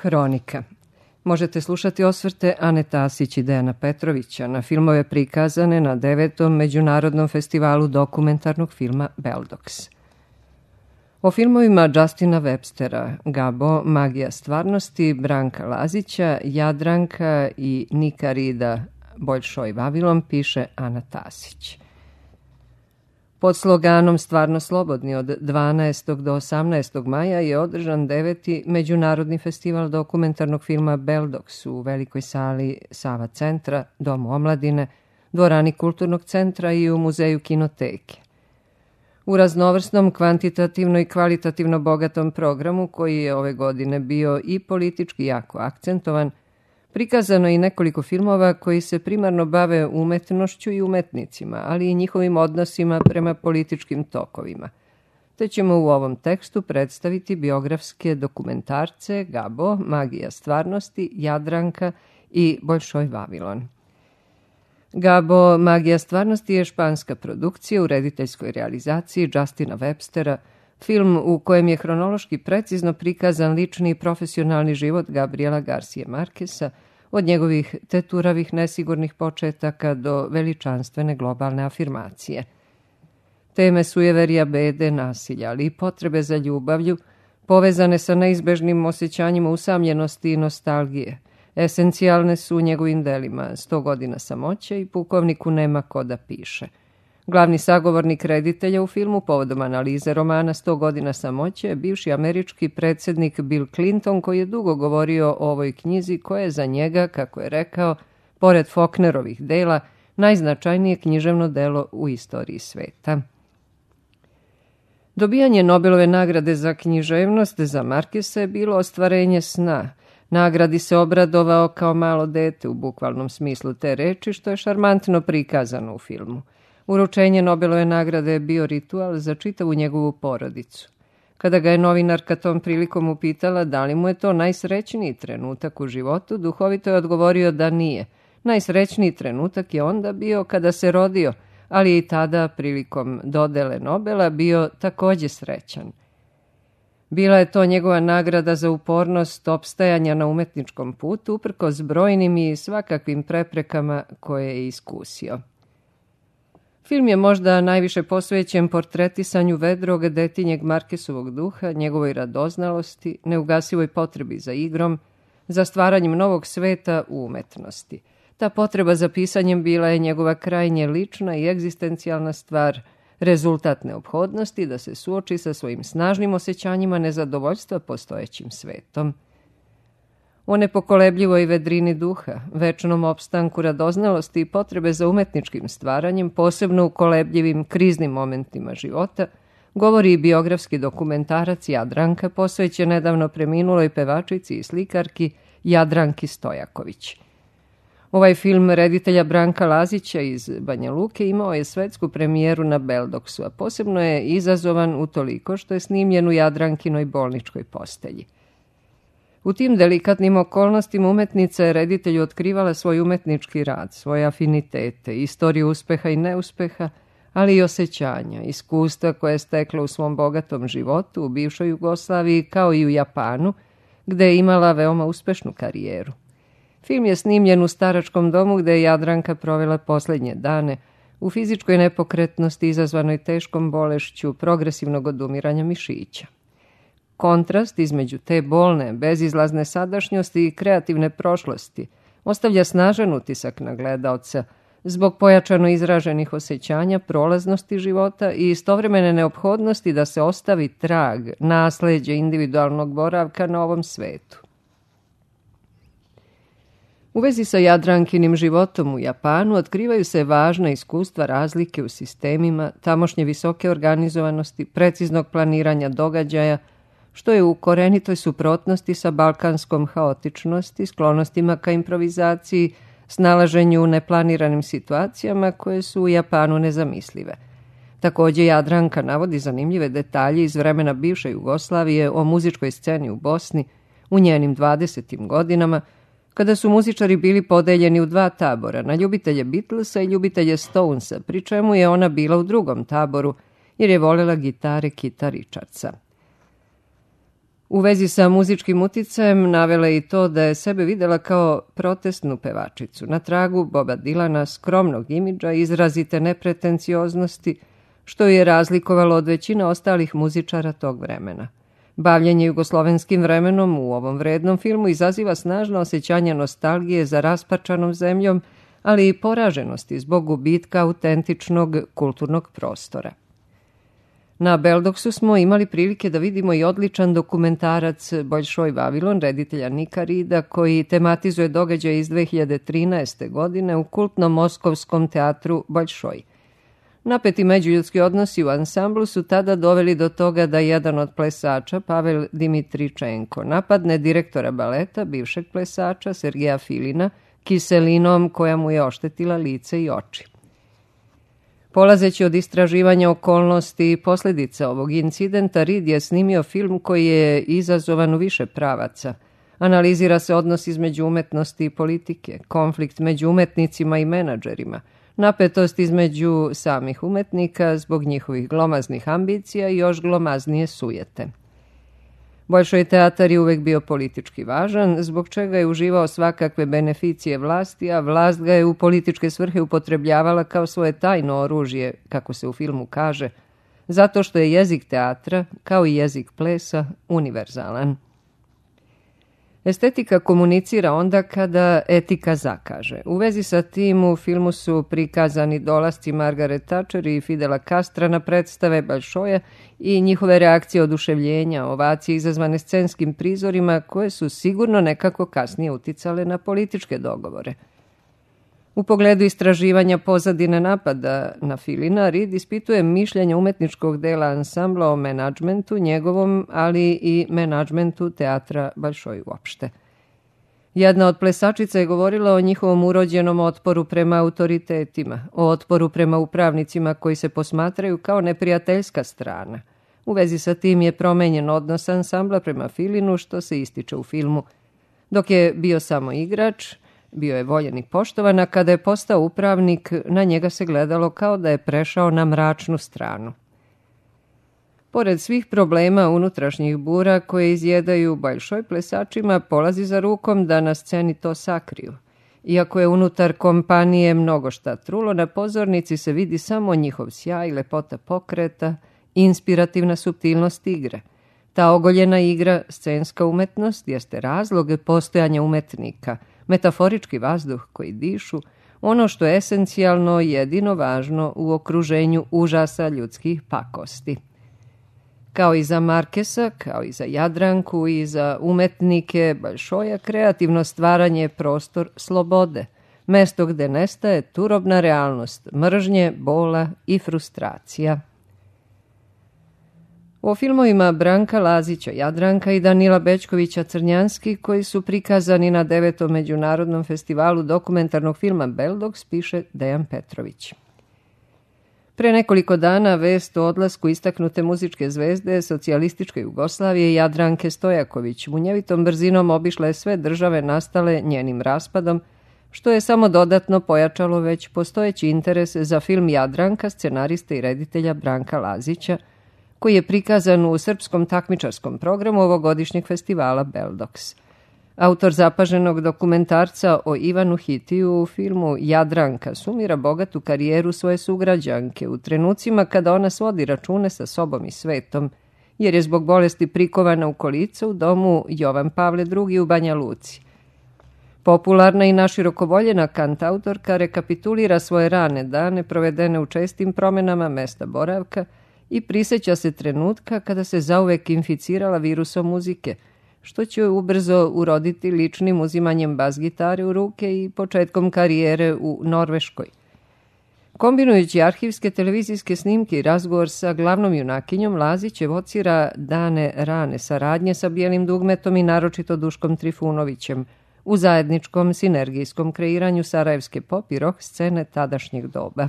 Hronika. Možete slušati osvrte Ane Tasić i Dejana Petrovića na filmove prikazane na 9. Međunarodnom festivalu dokumentarnog filma Beldox. O filmovima Justina Webstera, Gabo, Magija stvarnosti, Branka Lazića, Jadranka i Nika Rida, Boljšoj Vavilon, piše Ana Tasić. Pod sloganom Stvarno slobodni od 12. do 18. maja je održan 9. Međunarodni festival dokumentarnog filma Beldox u velikoj sali Sava centra, Domu omladine, dvorani Kulturnog centra i u Muzeju kinoteke. U raznovrsnom, kvantitativno i kvalitativno bogatom programu, koji je ove godine bio i politički jako akcentovan, prikazano je i nekoliko filmova koji se primarno bave umetnošću i umetnicima, ali i njihovim odnosima prema političkim tokovima. Te ćemo u ovom tekstu predstaviti biografske dokumentarce Gabo, Magija stvarnosti, Jadranka i Boljšoj Vavilon. Gabo, Magija stvarnosti je španska produkcija u rediteljskoj realizaciji Justina Webstera, film u kojem je hronološki precizno prikazan lični i profesionalni život Gabriela Garcije Markesa, od njegovih teturavih nesigurnih početaka do veličanstvene globalne afirmacije. Teme sujeverja, bede, nasilja, ali i potrebe za ljubavlju, povezane sa neizbežnim osjećanjima usamljenosti i nostalgije, esencijalne su u njegovim delima 100 godina samoće i Pukovniku nema ko da piše. Glavni sagovornik reditelja u filmu povodom analize romana 100 godina samoće je bivši američki predsjednik Bill Clinton, koji je dugo govorio o ovoj knjizi koja je za njega, kako je rekao, pored Faulknerovih dela, najznačajnije književno delo u istoriji sveta. Dobijanje Nobelove nagrade za književnost za Markesa je bilo ostvarenje sna. Nagradi se obradovao kao malo dete u bukvalnom smislu te reči, što je šarmantno prikazano u filmu. Uručenje Nobelove nagrade je bio ritual za čitavu njegovu porodicu. Kada ga je novinarka tom prilikom upitala da li mu je to najsrećniji trenutak u životu, duhovito je odgovorio da nije. Najsrećniji trenutak je onda bio kada se rodio, ali je i tada prilikom dodele Nobela bio takođe srećan. Bila je to njegova nagrada za upornost opstajanja na umetničkom putu, uprkos brojnim i svakakvim preprekama koje je iskusio. Film je možda najviše posvećen portretisanju vedrog detinjeg Markesovog duha, njegovoj radoznalosti, neugasivoj potrebi za igrom, za stvaranjem novog sveta u umetnosti. Ta potreba za pisanjem bila je njegova krajnje lična i egzistencijalna stvar, rezultat neophodnosti da se suoči sa svojim snažnim osjećanjima nezadovoljstva postojećim svetom. O nepokolebljivoj vedrini duha, večnom opstanku radoznalosti i potrebe za umetničkim stvaranjem, posebno u kolebljivim kriznim momentima života, govori i biografski dokumentarac Jadranka, posvećen nedavno preminuloj pevačici i slikarki Jadranki Stojaković. Ovaj film reditelja Branka Lazića iz Banja Luke imao je svetsku premijeru na Beldoxu, a posebno je izazovan utoliko što je snimljen u Jadrankinoj bolničkoj postelji. U tim delikatnim okolnostima umetnica je reditelju otkrivala svoj umetnički rad, svoje afinitete, istoriju uspeha i neuspeha, ali i osjećanja, iskustva koje je stekla u svom bogatom životu u bivšoj Jugoslaviji kao i u Japanu, gde je imala veoma uspešnu karijeru. Film je snimljen u staračkom domu gde je Jadranka provela poslednje dane u fizičkoj nepokretnosti izazvanoj teškom bolešću progresivnog odumiranja mišića. Kontrast između te bolne, bezizlazne sadašnjosti i kreativne prošlosti ostavlja snažan utisak na gledaoca zbog pojačano izraženih osjećanja, prolaznosti života i istovremene neophodnosti da se ostavi trag, nasleđe individualnog boravka na ovom svetu. U vezi sa Jadrankinim životom u Japanu otkrivaju se važna iskustva razlike u sistemima, tamošnje visoke organizovanosti, preciznog planiranja događaja, što je u korenitoj suprotnosti sa balkanskom haotičnosti, sklonostima ka improvizaciji, snalaženju u neplaniranim situacijama koje su u Japanu nezamislive. Takođe, Jadranka navodi zanimljive detalje iz vremena bivše Jugoslavije o muzičkoj sceni u Bosni u njenim 20. godinama, kada su muzičari bili podeljeni u dva tabora, na ljubitelje Beatlesa i ljubitelje Stonesa, pri čemu je ona bila u drugom taboru, jer je voljela gitare Kita Richardsa. U vezi sa muzičkim uticajem navela je i to da je sebe videla kao protestnu pevačicu, na tragu Boba Dylana, skromnog imidža i izrazite nepretencioznosti, što je razlikovalo od većine ostalih muzičara tog vremena. Bavljenje jugoslovenskim vremenom u ovom vrednom filmu izaziva snažno osjećanje nostalgije za rasparčanom zemljom, ali i poraženosti zbog gubitka autentičnog kulturnog prostora. Na Beldoksu smo imali prilike da vidimo i odličan dokumentarac Boljšoj Vavilon, reditelja Nika Rida, koji tematizuje događaje iz 2013. godine u kultnom moskovskom teatru Boljšoj. Napeti međuljudski odnosi u ansamblu su tada doveli do toga da jedan od plesača, Pavel Dimitričenko, napadne direktora baleta, bivšeg plesača Sergeja Filina, kiselinom koja mu je oštetila lice i oči. Polazeći od istraživanja okolnosti i posljedica ovog incidenta, Reed je snimio film koji je izazovan u više pravaca. Analizira se odnos između umetnosti i politike, konflikt među umetnicima i menadžerima, napetost između samih umetnika zbog njihovih glomaznih ambicija i još glomaznije sujete. Boljšoj teatar je uvek bio politički važan, zbog čega je uživao svakakve beneficije vlasti, a vlast ga je u političke svrhe upotrebljavala kao svoje tajno oružje, kako se u filmu kaže, zato što je jezik teatra, kao i jezik plesa, univerzalan. Estetika komunicira onda kada etika zakaže. U vezi sa tim u filmu su prikazani dolasci Margaret Thatcher i Fidela Castra na predstave Boljšoja i njihove reakcije oduševljenja, ovacije izazvane scenskim prizorima koje su sigurno nekako kasnije uticale na političke dogovore. U pogledu istraživanja pozadine napada na Filina, Reed ispituje mišljenje umetničkog dela ansambla o menadžmentu njegovom, ali i menadžmentu teatra Boljšoj uopšte. Jedna od plesačica je govorila o njihovom urođenom otporu prema autoritetima, o otporu prema upravnicima koji se posmatraju kao neprijateljska strana. U vezi sa tim je promenjen odnos ansambla prema Filinu, što se ističe u filmu. Dok je bio samo igrač, bio je voljen i poštovan, a kada je postao upravnik, na njega se gledalo kao da je prešao na mračnu stranu. Pored svih problema unutrašnjih bura koje izjedaju Boljšoj, plesačima polazi za rukom da na sceni to sakriju. Iako je unutar kompanije mnogo šta trulo, na pozornici se vidi samo njihov sjaj, lepota pokreta i inspirativna suptilnost igre. Ta ogoljena igra, scenska umetnost, jeste razlog postojanja umetnika, metaforički vazduh koji dišu, ono što je esencijalno jedino važno u okruženju užasa ljudskih pakosti. Kao i za Markesa, kao i za Jadranku i za umetnike Boljšoja, kreativno stvaranje je prostor slobode, mesto gde nestaje turobna realnost, mržnje, bola i frustracija. O filmovima Branka Lazića, Jadranka i Danila Bećkovića Crnjanski, koji su prikazani na 9. međunarodnom festivalu dokumentarnog filma Beldoks, piše Dejan Petrović. Pre nekoliko dana vest o odlasku istaknute muzičke zvezde socijalističke Jugoslavije Jadranke Stojaković munjevitom brzinom obišla je sve države nastale njenim raspadom, što je samo dodatno pojačalo već postojeći interes za film Jadranka scenariste i reditelja Branka Lazića, koji je prikazan u srpskom takmičarskom programu ovogodišnjeg festivala Beldoks. Autor zapaženog dokumentarca o Ivanu Hitiju u filmu Jadranka sumira bogatu karijeru svoje sugrađanke u trenucima kada ona svodi račune sa sobom i svetom, jer je zbog bolesti prikovana u kolica u domu Jovan Pavle II u Banja Luci. Popularna i naširoko voljena kantautorka rekapitulira svoje rane dane provedene u čestim promenama mesta boravka i prisjeća se trenutka kada se zauvek inficirala virusom muzike, što će joj ubrzo uroditi ličnim uzimanjem bas-gitare u ruke i početkom karijere u Norveškoj. Kombinujući arhivske televizijske snimke i razgovor sa glavnom junakinjom, Lazić evocira dane rane saradnje sa Bijelim dugmetom i naročito Duškom Trifunovićem u zajedničkom sinergijskom kreiranju sarajevske pop i rock scene tadašnjeg doba.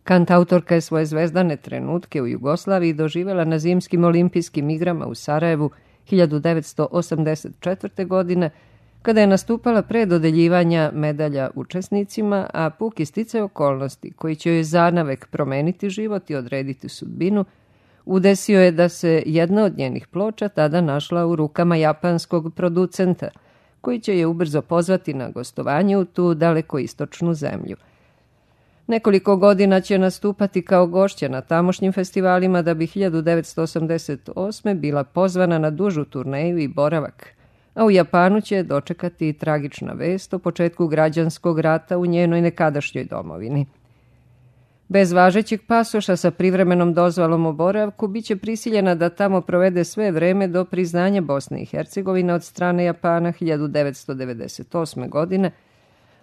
Kantautorka je svoje zvezdane trenutke u Jugoslaviji doživjela na zimskim olimpijskim igrama u Sarajevu 1984. godine, kada je nastupala pre dodeljivanja medalja učesnicima, a puki sticaj okolnosti koji će joj zanavek promeniti život i odrediti sudbinu, Udesio je da se jedna od njenih ploča tada našla u rukama japanskog producenta, koji će je ubrzo pozvati na gostovanje u tu dalekoistočnu zemlju. Nekoliko godina će nastupati kao gošća na tamošnjim festivalima da bi 1988. bila pozvana na dužu turneju i boravak, a u Japanu će dočekati tragična vest o početku građanskog rata u njenoj nekadašnjoj domovini. Bez važećeg pasoša sa privremenom dozvolom o boravku biće prisiljena da tamo provede sve vreme do priznanja Bosne i Hercegovine od strane Japana 1998. godine,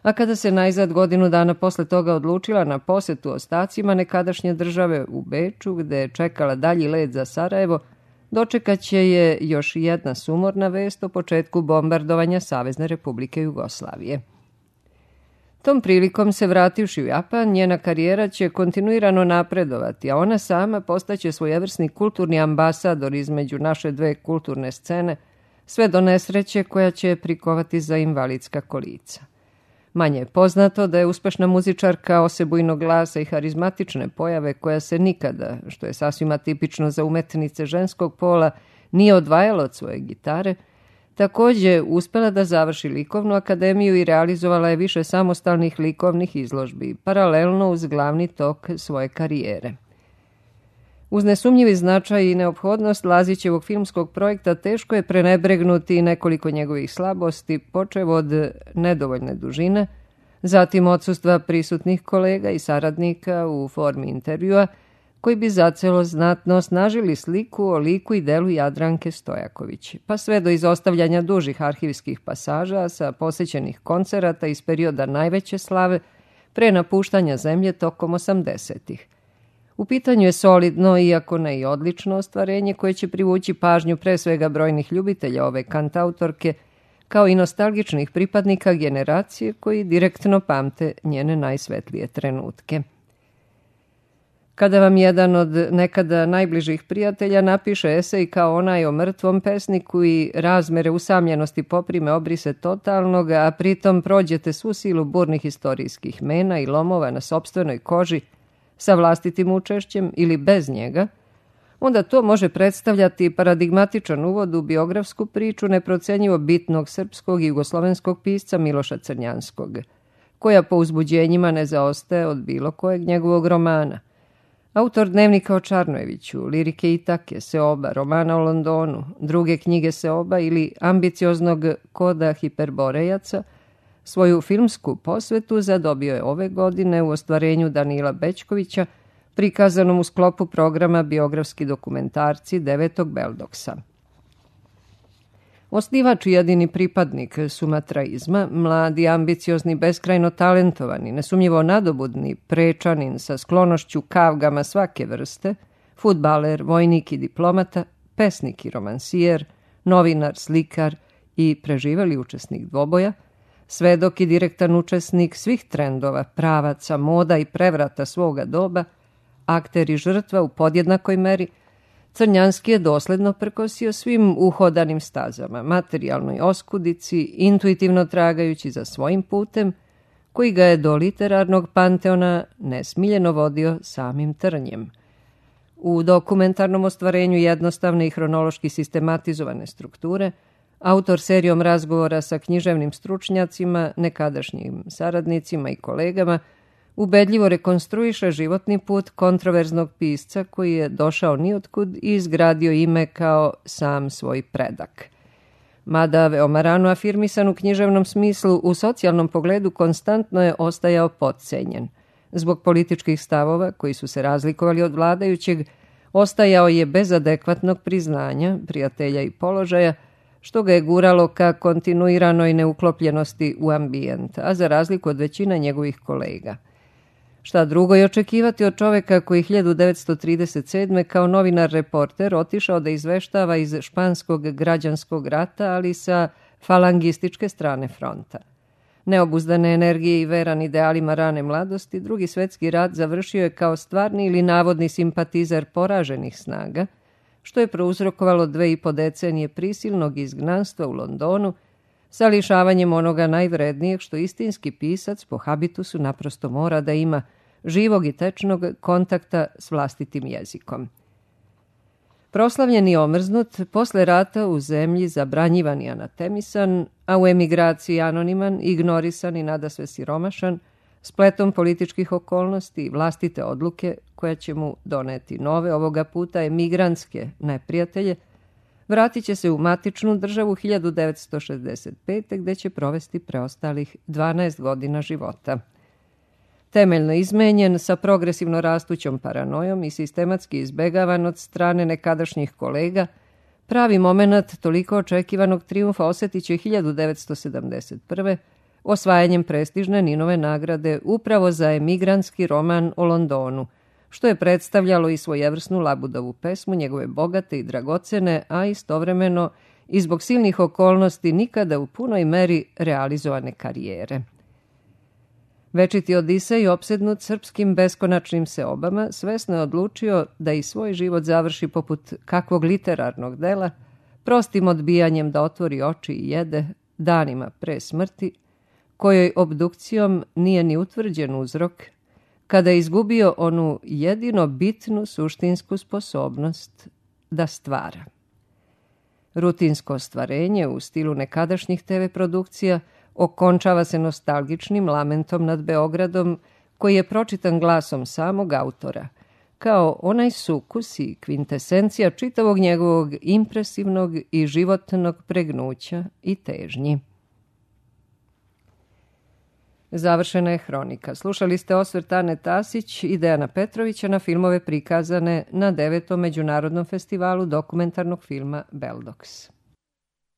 a kada se najzad godinu dana posle toga odlučila na posetu ostacima nekadašnje države u Beču, gde je čekala dalji let za Sarajevo, dočekaće je još jedna sumorna vest o početku bombardovanja Savezne Republike Jugoslavije. Tom prilikom se vrativši u Japan, njena karijera će kontinuirano napredovati, a ona sama postaće svojevrsni kulturni ambasador između naše dve kulturne scene, sve do nesreće koja će prikovati za invalidska kolica. Manje je poznato da je uspešna muzičarka osebujnog glasa i harizmatične pojave koja se nikada, što je sasvim atipično za umetnice ženskog pola, nije odvajala od svoje gitare, takođe uspela da završi likovnu akademiju i realizovala je više samostalnih likovnih izložbi, paralelno uz glavni tok svoje karijere. Uz nesumnjivi značaj i neophodnost Lazićevog filmskog projekta teško je prenebregnuti nekoliko njegovih slabosti, počev od nedovoljne dužine, zatim odsustva prisutnih kolega i saradnika u formi intervjua, koji bi zacelo znatno osnažili sliku o liku i delu Jadranke Stojaković, pa sve do izostavljanja dužih arhivskih pasaža sa posjećenih koncerata iz perioda najveće slave pre napuštanja zemlje tokom 80-ih. U pitanju je solidno, iako ne i odlično ostvarenje koje će privući pažnju pre svega brojnih ljubitelja ove kantautorke, kao i nostalgičnih pripadnika generacije koji direktno pamte njene najsvetlije trenutke. Kada vam jedan od nekada najbližih prijatelja napiše esej kao onaj o mrtvom pesniku i razmere usamljenosti poprime obrise totalnog, a pritom prođete svu silu burnih istorijskih mena i lomova na sopstvenoj koži, sa vlastitim učešćem ili bez njega, onda to može predstavljati paradigmatičan uvod u biografsku priču neprocenjivo bitnog srpskog i jugoslovenskog pisca Miloša Crnjanskog, koja po uzbuđenjima ne zaostaje od bilo kojeg njegovog romana. Autor dnevnika o Čarnojeviću, lirike Itake, Seoba, romana o Londonu, druge knjige Seoba ili ambicioznog koda Hiperborejaca, svoju filmsku posvetu zadobio je ove godine u ostvarenju Danila Bećkovića, prikazanom u sklopu programa Biografski dokumentarci 9. Beldoksa. Osnivač i jedini pripadnik sumatraizma, mladi, ambiciozni, beskrajno talentovani, nesumnjivo nadobudni prečanin sa sklonošću kavgama svake vrste, fudbaler, vojnik i diplomata, pesnik i romansijer, novinar, slikar i preživeli učesnik dvoboja, svedok i direktan učesnik svih trendova, pravaca, moda i prevrata svoga doba, akter i žrtva u podjednakoj meri, Crnjanski je dosledno prkosio svim uhodanim stazama, materijalnoj oskudici, intuitivno tragajući za svojim putem, koji ga je do literarnog panteona nesmiljeno vodio samim trnjem. U dokumentarnom ostvarenju jednostavne i hronološki sistematizovane strukture, autor serijom razgovora sa književnim stručnjacima, nekadašnjim saradnicima i kolegama, ubedljivo rekonstruiše životni put kontroverznog pisca koji je došao niotkud i izgradio ime kao sam svoj predak. Mada veoma rano afirmisan u književnom smislu, u socijalnom pogledu konstantno je ostajao potcenjen. Zbog političkih stavova koji su se razlikovali od vladajućeg, ostajao je bez adekvatnog priznanja, prijatelja i položaja, što ga je guralo ka kontinuiranoj neuklopljenosti u ambijent, a za razliku od većine njegovih kolega. Šta drugo je očekivati od čoveka koji 1937. kao novinar-reporter otišao da izveštava iz španskog građanskog rata, ali sa falangističke strane fronta. Neobuzdane energije i veran idealima rane mladosti, Drugi svetski rat završio je kao stvarni ili navodni simpatizer poraženih snaga, što je prouzrokovalo 2,5 decenije prisilnog izgnanstva u Londonu, sa lišavanjem onoga najvrednijeg što istinski pisac po habitusu naprosto mora da ima, živog i tečnog kontakta s vlastitim jezikom. Proslavljen i omrznut, posle rata u zemlji zabranjivan i anatemisan, a u emigraciji anoniman, ignorisan i nadasve siromašan, spletom političkih okolnosti i vlastite odluke koja će mu doneti nove, ovoga puta emigrantske neprijatelje, vratit će se u matičnu državu 1965. gde će provesti preostalih 12 godina života. Temeljno izmenjen, sa progresivno rastućom paranojom i sistematski izbegavan od strane nekadašnjih kolega, pravi moment toliko očekivanog trijumfa osjetit će 1971. osvajanjem prestižne Ninove nagrade upravo za emigrantski roman o Londonu, što je predstavljalo i svojevrsnu Labudovu pesmu, njegove bogate i dragocene, a istovremeno i zbog silnih okolnosti nikada u punoj meri realizovane karijere. Večiti Odisej, opsednut srpskim beskonačnim seobama, svesno je odlučio da i svoj život završi poput kakvog literarnog dela, prostim odbijanjem da otvori oči i jede danima pre smrti, kojoj obdukcijom nije ni utvrđen uzrok, kada je izgubio onu jedino bitnu suštinsku sposobnost da stvara. Rutinsko ostvarenje u stilu nekadašnjih TV produkcija okončava se nostalgičnim lamentom nad Beogradom, koji je pročitan glasom samog autora, kao onaj sukus i kvintesencija čitavog njegovog impresivnog i životnog pregnuća i težnji. Završena je hronika. Slušali ste osvrt Ane Tasić i Dejana Petrovića na filmove prikazane na 9. Međunarodnom festivalu dokumentarnog filma Beldoks.